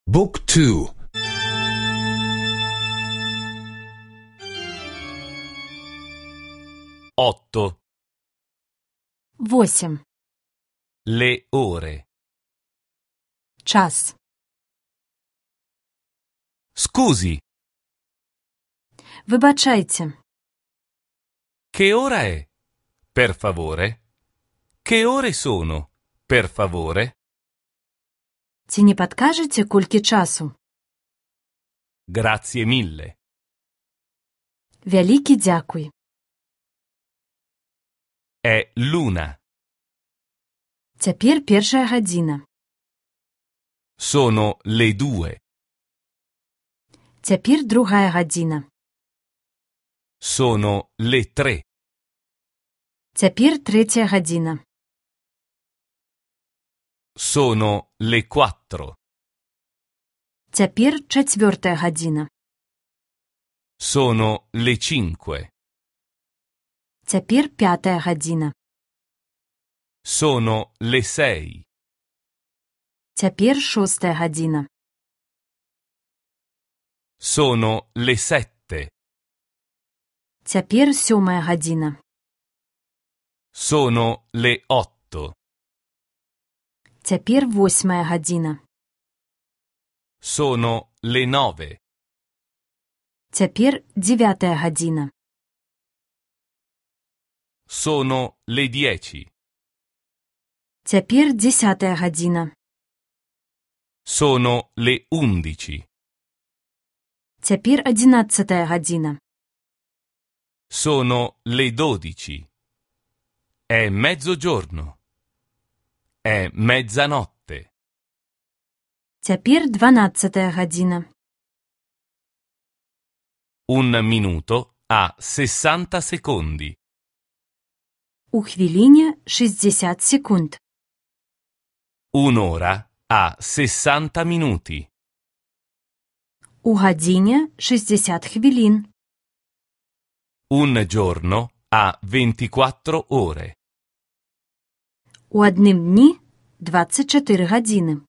Book 2. Otto. 8. Le ore. Час. Scusi, Вибачайте. che ora è? Per favore? Che ore sono? Per favore? Ці не падкажаце, колькі часу? Grazie mille. Вялікі дзякуй. È l'una. Цяпер 1 гадзіна. Sono le 2. Цяпер 2 гадзіна. Sono le 3. Цяпер 3 гадзіна. Sono le 4. Цяпер 4 гадзіна. Sono le 5. Цяпер 5 гадзіна. Sono le 6. Цяпер 6 гадзіна. Sono le 7. Цяпер 7 гадзіна. Sono le 8. Цяпер 8 гадзіна. Sono le 9. Цяпер 9 гадзіна. Sono le 10. Цяпер 10 гадзіна. Sono le 11. Цяпер 11 гадзіна. Sono le 12. È mezzogiorno. È mezzanotte. Цяпер 12 гадзіна. Un minuto ha 60 secondi. У хвіліне 60 секунд. Un'ora ha 60 minuti. У гадзіне 60 хвілін. Un giorno ha 24 ore. У адным дні 24 гадзіни.